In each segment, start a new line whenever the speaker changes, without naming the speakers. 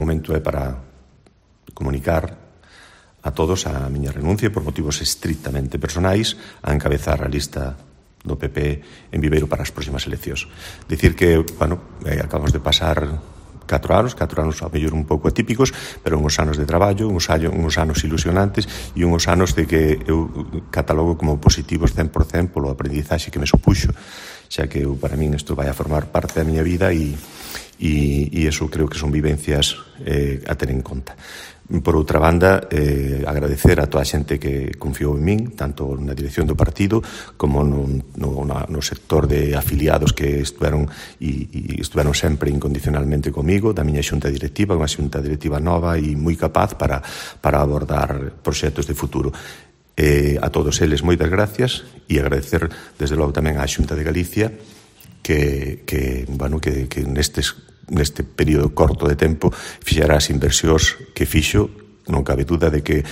momento é para comunicar a todos a miña renuncia por motivos estrictamente personais a encabezar a lista do PP en Viveiro para as próximas eleccións. Dicir que, acabamos de pasar 4 anos ao mellor un pouco atípicos, pero uns anos de traballo, uns anos ilusionantes e uns anos de que eu catalogo como positivos 100% polo aprendizaxe que me supuxo, xa que para min isto vai a formar parte da miña vida e eso creo que son vivencias a ter en conta. Por outra banda, agradecer a toda a xente que confiou en min, tanto na dirección do partido como no sector de afiliados que estuveron sempre incondicionalmente comigo, da miña xunta directiva, unha xunta directiva nova e moi capaz para abordar proxectos de futuro. A todos eles moitas gracias e agradecer desde logo tamén á Xunta de Galicia que neste período corto de tempo fixera as inversións que fixo. Non cabe dúda de que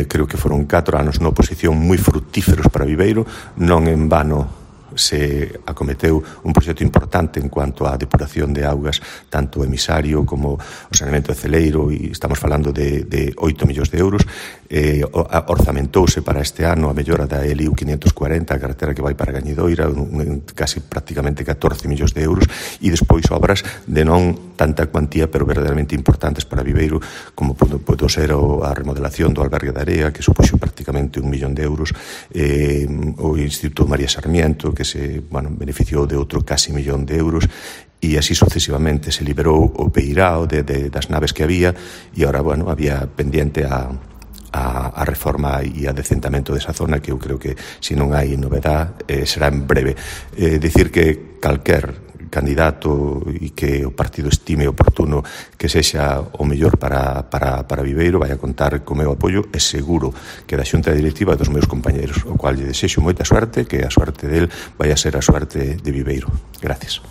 creo que foron 4 anos na oposición moi fructíferos para Viveiro. Non en vano se acometeu un proxecto importante en cuanto á depuración de augas, tanto o emisario como o saneamento de Celeiro, e estamos falando de 8 millóns de euros. Orzamentouse para este ano a mellora da LIU 540, a carretera que vai para Gañidoira, casi prácticamente 14 millóns de euros, e despois obras de non tanta cuantía, pero verdadeiramente importantes para Viveiro, como pode ser a remodelación do albergue da Area, que supuxo prácticamente 1 millón de euros, o Instituto María Sarmiento, que se beneficiou de outro casi 1 millón de euros, e así sucesivamente. Se liberou o Peirao das naves que había, e agora, había pendiente a reforma e a decentamento desa zona, que eu creo que, se non hai novedad, será en breve. Dicir que calquer candidato e que o partido estime oportuno que sexa o mellor para Viveiro vai a contar co meu apoio, e seguro que da xunta directiva dos meus compañeros, o cual lle desexo moita suerte, que a suerte del vai a ser a suerte de Viveiro. Gracias.